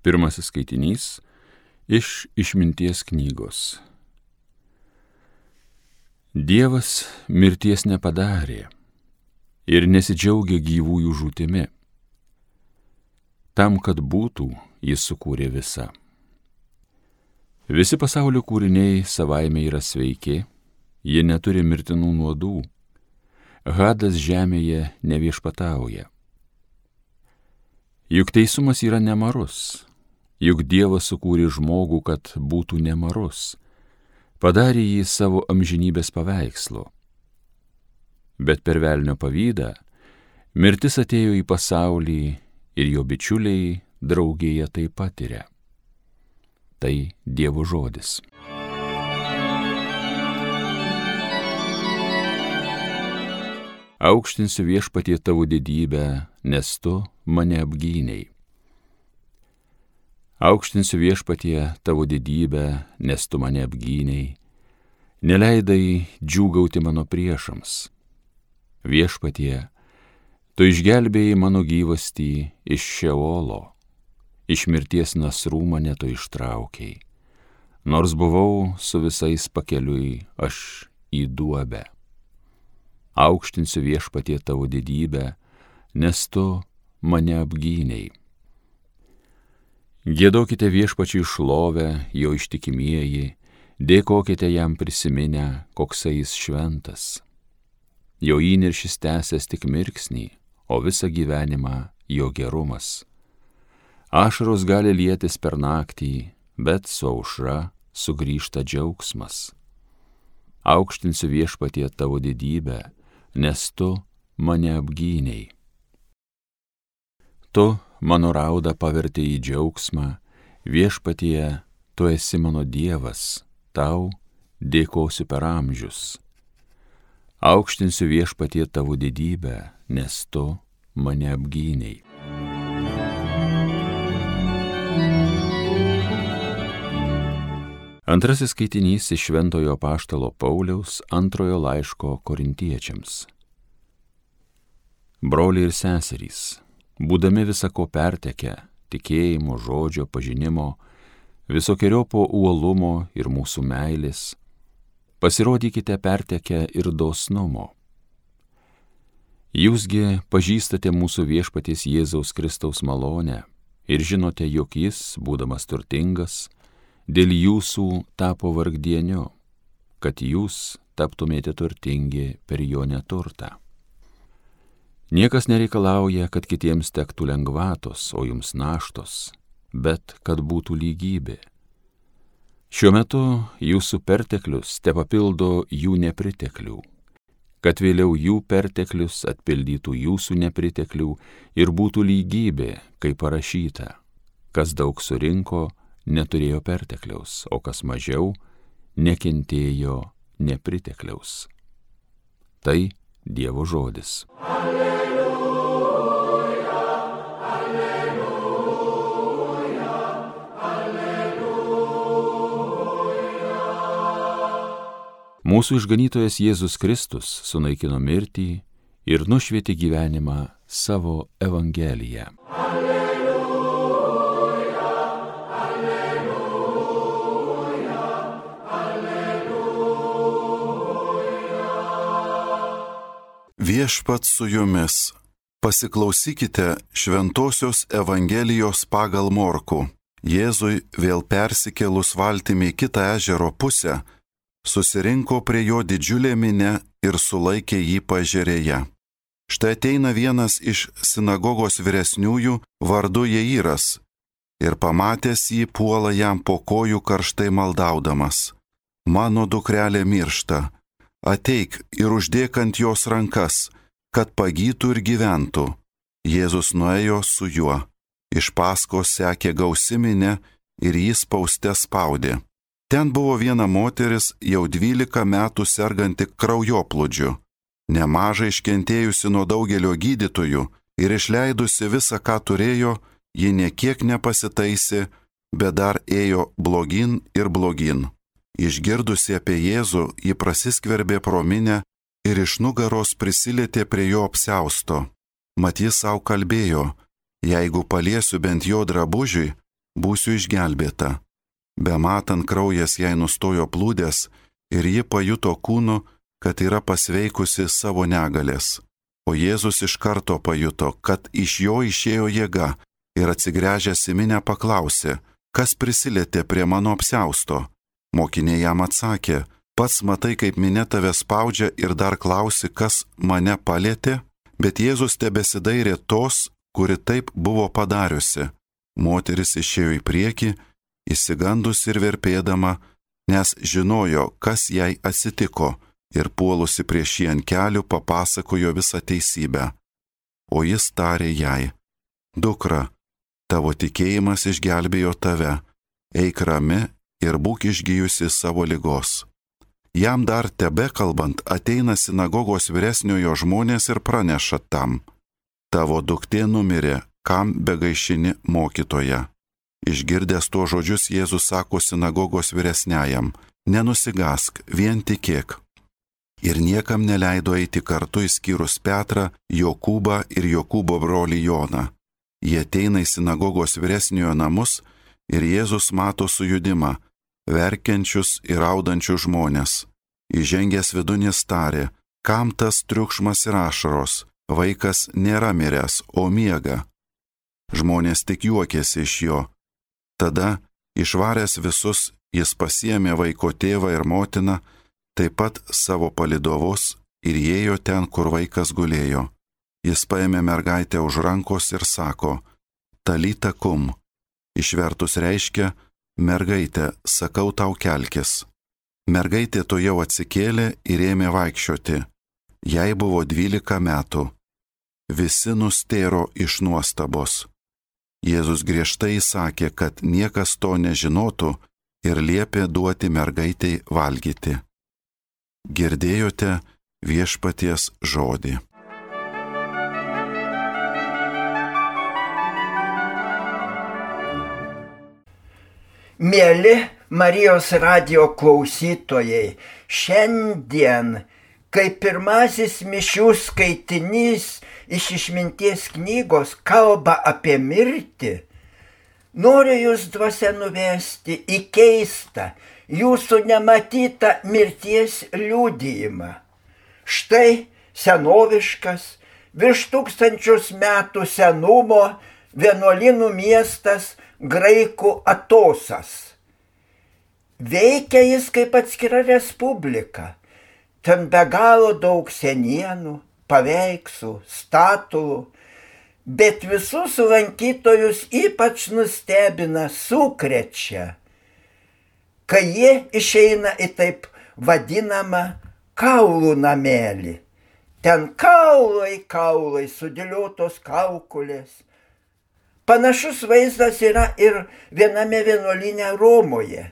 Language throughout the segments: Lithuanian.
Pirmasis skaitinys iš Išminties knygos. Dievas mirties nepadarė ir nesidžiaugia gyvųjų žūtimi. Tam, kad būtų, jis sukūrė visą. Visi pasaulio kūriniai savaime yra sveiki, jie neturi mirtinų nuodų. Hadas žemėje neviešpatauja. Juk teisumas yra nemarus, juk Dievas sukūrė žmogų, kad būtų nemarus, padarė jį savo amžinybės paveikslu. Bet per velnio pavydą mirtis atėjo į pasaulį ir jo bičiuliai draugėje tai patiria. Tai Dievo žodis. Aukštinsiu viešpatie tavo didybę, nes tu mane apgynei. Aukštinsiu viešpatie tavo didybę, nes tu mane apgynei. Neleidai džiūgauti mano priešams. Viešpatie, tu išgelbėjai mano gyvastį iš Šeolo, iš mirties nasrų mane tu ištraukiai. Nors buvau su visais pakeliui, aš į duobę. Aukštinsiu viešpatie tavo didybę, nes tu mane apgynei. Giedokite viešpačiui šlovę, jo ištikimieji, dėkokite jam prisiminę, koksai jis šventas. Jo įniršis tęsęs tik mirksnį, o visą gyvenimą jo gerumas. Ašaros gali lietis per naktį, bet su aušra sugrįžta džiaugsmas. Aukštinsiu viešpatie tavo didybę, nes tu mane apgynei. Tu mano raudą pavertei į džiaugsmą, viešpatie, tu esi mano Dievas, tau dėkosiu per amžius. Aukštinsiu viešpatie tavo didybę, nes tu mane apgynei. Antrasis skaitinys iš Šventojo apaštalo Pauliaus antrojo laiško Korintiečiams. Broliai ir seserys, būdami visako pertekę, tikėjimo, žodžio, pažinimo, visokiojopo uolumo ir mūsų meilės, pasirodykite pertekę ir dosnumo. Jūsgi pažįstate mūsų viešpaties Jėzaus Kristaus malonę ir žinote, jog jis, būdamas turtingas, dėl jūsų tapo vargdieniu, kad jūs taptumėte turtingi per jo neturtą. Niekas nereikalauja, kad kitiems tektų lengvatos, o jums naštos, bet kad būtų lygybė. Šiuo metu jūsų perteklius tepapildo jų nepriteklių, kad vėliau jų perteklius atpildytų jūsų nepriteklių ir būtų lygybė, kaip parašyta, kas daug surinko, neturėjo pertekliaus, o kas mažiau, nekentėjo nepritekliaus. Tai Dievo žodis. Alleluja, alleluja, alleluja. Mūsų išganytojas Jėzus Kristus sunaikino mirtį ir nušvietė gyvenimą savo Evangeliją. Viešpats su jumis. Pasiklausykite Šventosios Evangelijos pagal Morkų. Jėzui vėl persikėlus valtimi į kitą ežero pusę, susirinko prie jo didžiulė minia ir sulaikė jį paežerėje. Štai ateina vienas iš sinagogos vyresniųjų vardu Jairas ir pamatęs jį puola jam po kojų karštai maldaudamas: Mano dukrelė miršta. Ateik ir uždėk ant jos rankas, kad pagytų ir gyventų. Jėzus nuėjo su juo. Iš paskos sekė gausi minia ir jį spauste spaudė. Ten buvo viena moteris, jau 12 metų serganti kraujoplūdžiu, nemažai iškentėjusi nuo daugelio gydytojų ir išleidusi visą, ką turėjo, ji niekiek nepasitaisė, bet dar ėjo blogyn ir blogyn. Išgirdusi apie Jėzų, ji prasiskverbė pro minią ir iš nugaros prisilietė prie jo apsiausto. Mat jis savo kalbėjo: jeigu paliesiu bent jo drabužiui, būsiu išgelbėta. Bematant kraujas jai nustojo plūdęs ir ji pajuto kūnu, kad yra pasveikusi savo negalės. O Jėzus iš karto pajuto, kad iš jo išėjo jėga ir atsigręžęs į minią paklausė, kas prisilietė prie mano apsiausto. Mokiniai jam atsakė, pats matai, kaip minia tave spaudžia ir dar klausi, kas mane palietė? Bet Jėzus tebesidairė tos, kuri taip buvo padariusi. Moteris išėjo į priekį, išsigandus ir verpėdama, nes žinojo, kas jai atsitiko, ir puolusi prieš jį ant kelių papasakojo visą teisybę. O jis tarė jai, dukra, tavo tikėjimas išgelbėjo tave, eik rami ir būk išgijusi savo ligos. Jam dar tebekalbant ateina sinagogos vyresniojo žmonės ir praneša tam, tavo duktė numirė, kam begaišini mokytoja. Išgirdęs tuos žodžius Jėzus sako sinagogos vyresniajam, nenusigask, vien tikėk. Ir niekam neleido eiti kartu išskyrus Petrą, Jokūbą ir Jokūbo brolį Joną. Jie ateina į sinagogos vyresniojo namus ir Jėzus mato sujudimą, verkiančius ir raudančius žmonės. Įžengęs vidun jis tarė, kam tas triukšmas ir ašaros, vaikas nėra miręs, o miega. Žmonės tik juokėsi iš jo. Tada, išvaręs visus, jis pasiėmė vaiko tėvą ir motiną, taip pat savo palydovus ir ėjo ten, kur vaikas gulėjo. Jis paėmė mergaitę už rankos ir sako, talita kum. Išvertus reiškia, mergaitė, sakau tau kelkis. Mergaitė tuojau atsikėlė ir ėmė vaikščioti. Jai buvo 12 metų. Visi nustėro iš nuostabos. Jėzus griežtai įsakė, kad niekas to nežinotų ir liepė duoti mergaitei valgyti. Girdėjote viešpaties žodį. Mieli Marijos radijo klausytojai, šiandien, kai pirmasis mišių skaitinys iš išminties knygos kalba apie mirtį, noriu jūs dvasia nuvesti į keistą, jūsų nematytą mirties liudijimą. Štai senoviškas, virš 1000 metų senumo vienuolynų miestas Graikų Atosas. Veikia jis kaip atskira respublika. Ten be galo daug senienų, paveikslų, statulų, bet visus lankytojus ypač nustebina, sukrečia, kai jie išeina į taip vadinamą kaulų namelį. Ten kaulai, sudėliotos kaukolės. Panašus vaizdas yra ir viename vienuolyne Romoje.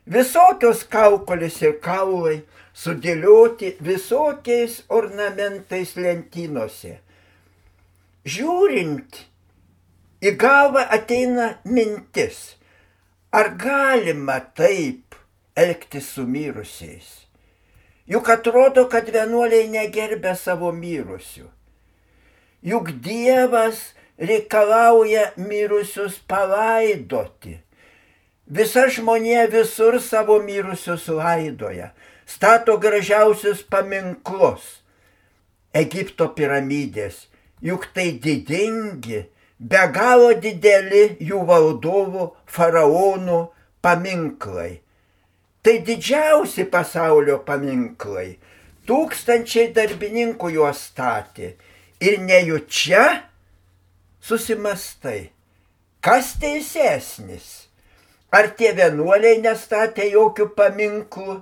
Visokios kaukolės ir kaulai sudėlioti visokiais ornamentais lentynose. Žiūrint, į galvą ateina mintis, ar galima taip elgtis su mirusiais? Juk atrodo, kad vienuoliai negerbia savo mirusių. Juk Dievas reikalauja mirusius palaidoti. Visa žmonija visur savo mirusius laidoja, stato gražiausius paminklus. Egipto piramidės, juk tai didingi, be galo dideli jų valdovų, faraonų paminklai. Tai didžiausi pasaulio paminklai. 1000 darbininkų juos statė. Ir nejučia susimastai, kas teisesnis? Ar tie vienuoliai nestatė jokių paminklų,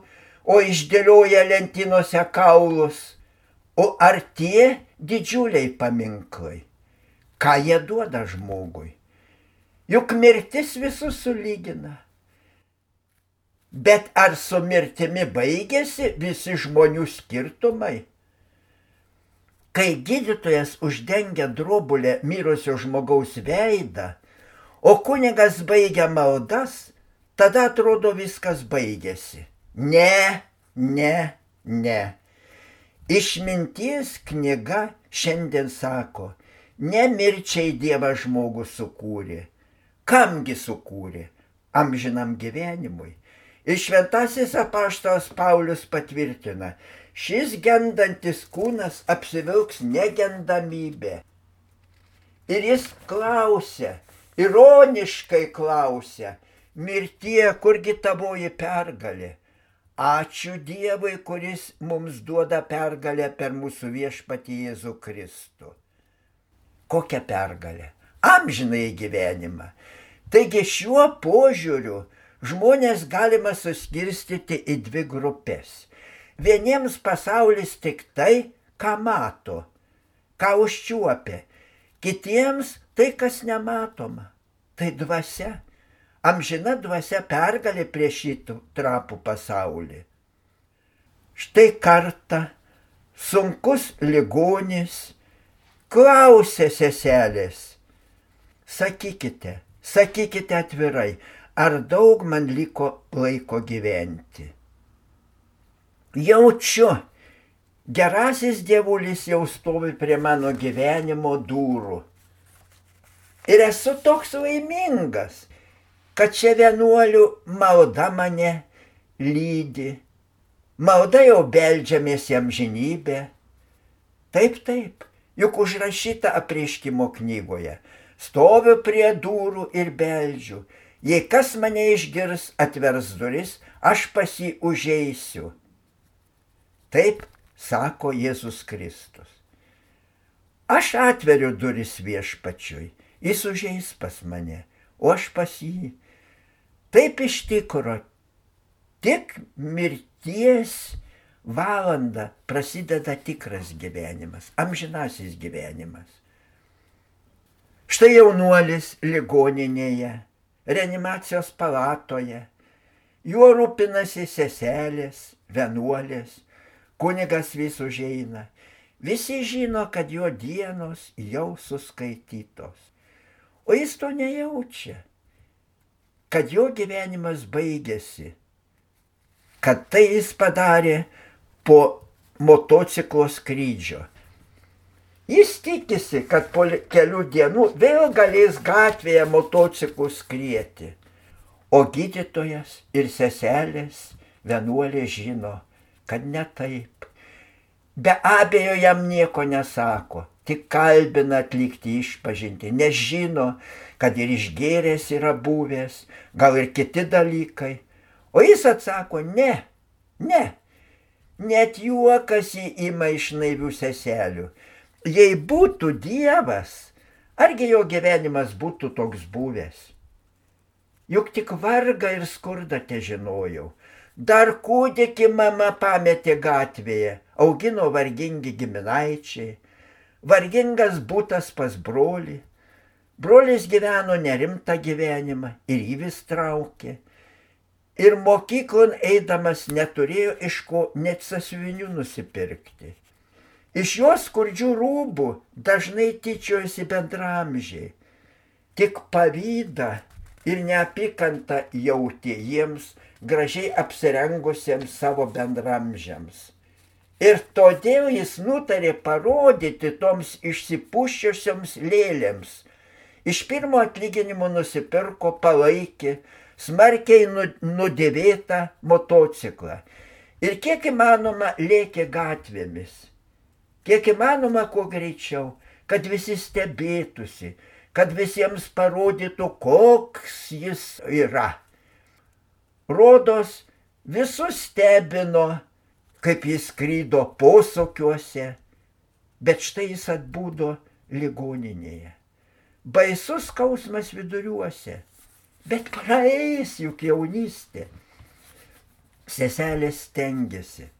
o išdėlioja lentynose kaulus? O ar tie didžiuliai paminklai? Ką jie duoda žmogui? Juk mirtis visus sulygina. Bet ar su mirtimi baigėsi visi žmonių skirtumai? Kai gydytojas uždengia drobulę mirusio žmogaus veidą, o kunigas baigia maldas, tada atrodo viskas baigėsi. Ne. Išminties knyga šiandien sako, ne mirčiai Dievas žmogų sukūrė, Kamgi sukūrė? Amžinam gyvenimui. Ir šventasis apaštalas Paulius patvirtina, šis gendantis kūnas apsivilks negendamybę. Ir jis klausia, ironiškai klausia, mirtie, kurgi tavoji pergalė? Ačiū Dievui, kuris mums duoda pergalę per mūsų viešpatį Jėzų Kristų. Kokią pergalę? Amžinąjį gyvenimą. Taigi šiuo požiūriu žmonės galima suskirstyti į dvi grupės. Vieniems pasaulis tik tai, ką mato, ką užčiuopia. Kitiems tai, kas nematoma. Tai dvasia. Amžina dvasia pergalė prieš šį trapų pasaulį. Štai kartą sunkus ligonis klausė seselės. Sakykite atvirai, ar daug man liko laiko gyventi. Jaučiu, gerasis dievulis jau stovi prie mano gyvenimo durų. Ir esu toks laimingas, kad čia vienuolių malda mane lydi. Malda jau beldžiamės į amžinybę. Taip, juk užrašyta apreiškimo knygoje. Stoviu prie durų ir beldžiu. Jei kas mane išgirs, atvers duris, aš pas jį užeisiu. Taip sako Jėzus Kristus. Aš atveriu duris viešpačiui, jis užeis pas mane, o aš pas jį. Taip iš tikro, tik mirties valanda prasideda tikras gyvenimas, amžinasis gyvenimas. Štai jaunuolis ligoninėje, reanimacijos palatoje, juo rūpinasi seselės, vienuolės, kunigas vis užeina. Visi žino, kad jo dienos jau suskaitytos. O jis to nejaučia, kad jo gyvenimas baigėsi, kad tai jis padarė po motociklo skrydžio. Jis tikisi, kad po kelių dienų vėl galės gatvėje motociklų skrieti. O gydytojas ir seselės vienuolė žino, kad ne taip. Be abejo jam nieko nesako, tik kalbina atlikti išpažintį, nes žino, kad ir išgėręs yra buvęs, gal ir kiti dalykai. O jis atsako, ne, net juokas jį ima iš naivių seselių. Jei būtų Dievas, argi jo gyvenimas būtų toks buvęs? Juk tik vargą ir skurdą težinojau. Dar kūdikį mama pametė gatvėje, augino vargingi giminaičiai, vargingas būtas pas brolį. Brolis gyveno nerimtą gyvenimą ir jį vis traukė. Ir mokyklon eidamas neturėjo iš ko net sąsiuvinių nusipirkti. Iš jos skurdžių rūbų dažnai tyčiojosi bendramžiai. Tik pavydą ir neapykantą jautė jiems gražiai apsirengusiems savo bendramžiams. Ir todėl jis nutarė parodyti toms išsipuščiosioms lėlėms. Iš pirmo atlyginimo nusipirko palaikį, smarkiai nudėvėtą motociklą. Ir kiek įmanoma lėkė gatvėmis. Kiek įmanoma kuo greičiau, kad visi stebėtųsi, kad visiems parodytų, koks jis yra. Rodos, visus stebino, kaip jis skrydo posūkiuose, bet štai jis atbudo ligoninėje. Baisus skausmas viduriuose, bet praeis juk jaunystė. Seselės stengėsi.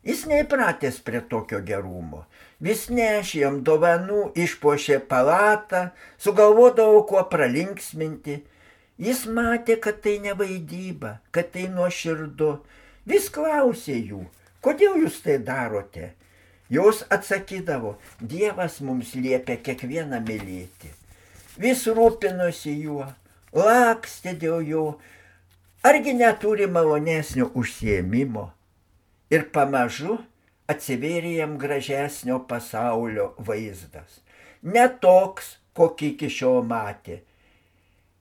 Jis neįpratęs prie tokio gerumo. Vis nešė jam dovanų, išpuošė palatą, sugalvodavo kuo pralinksminti. Jis matė, kad tai ne vaidyba, kad tai nuoširdu. Vis klausė jų, kodėl jūs tai darote? Jos atsakydavo, Dievas mums liepia kiekvieną mylėti. Vis rūpinosi juo, lakstė dėl jo, argi neturi malonesnio užsiėmimo. Ir pamažu atsivėrė jam gražesnio pasaulio vaizdas. Ne toks, kokį iki šiol matė.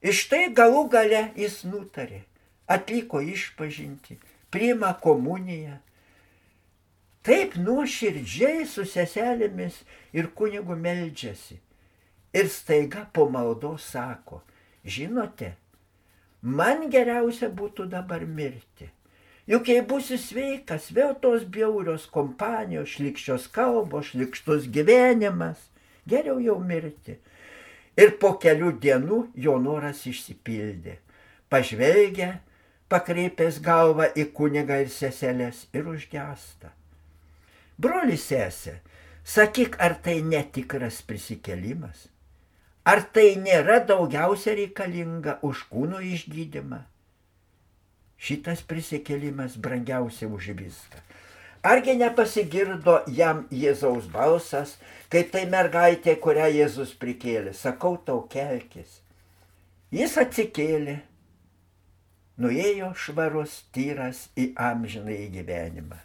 Iš tai galų gale jis nutarė, atliko išpažintį, priima komuniją. Taip nuoširdžiai su seselėmis ir kunigu meldžiasi. Ir staiga po maldos sako, žinote, man geriausia būtų dabar mirti. Juk jei būsiu sveikas, vėl tos bjaurios kompanijos, šlykščios kalbos, šlykštus gyvenimas, geriau jau mirti. Ir po kelių dienų jo noras išsipildė. Pažvelgia, pakreipęs galvą į kunigą ir seselės ir užgęsta. Broli sesė, sakyk, ar tai netikras prisikėlimas? Ar tai nėra daugiausia reikalinga už kūno išgydymą? Šitas prisikėlimas brangiausia už viską. Argi nepasigirdo jam Jėzaus balsas, kaip tai mergaitė, kurią Jėzus prikėlė, sakau tau kelkis. Jis atsikėlė, nuėjo švarus, tyras į amžinąjį gyvenimą.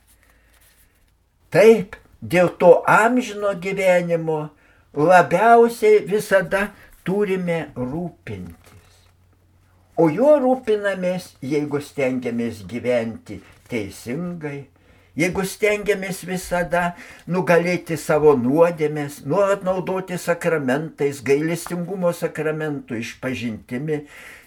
Taip, dėl to amžino gyvenimo labiausiai visada turime rūpintis. O juo rūpinamės, jeigu stengiamės gyventi teisingai, jeigu stengiamės visada nugalėti savo nuodėmes, nuolat naudoti sakramentais, gailestingumo sakramentų išpažintimi,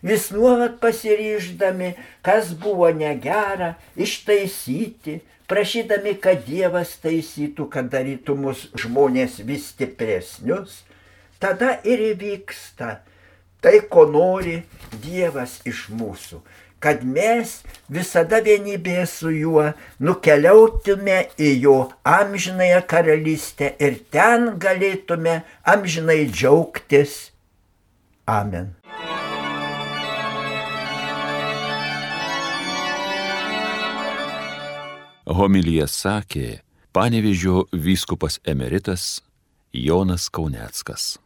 vis nuolat pasiryždami, kas buvo negera, ištaisyti, prašydami, kad Dievas taisytų, kad darytų mus žmonės vis stipresnius, tada ir įvyksta tai, ko nori Dievas iš mūsų, kad mes visada vienybėje su juo nukeliautume į jo amžinąją karalystę ir ten galėtume amžinai džiaugtis. Amen. Homiliją sakė Panevėžio vyskupas emeritas Jonas Kauneckas.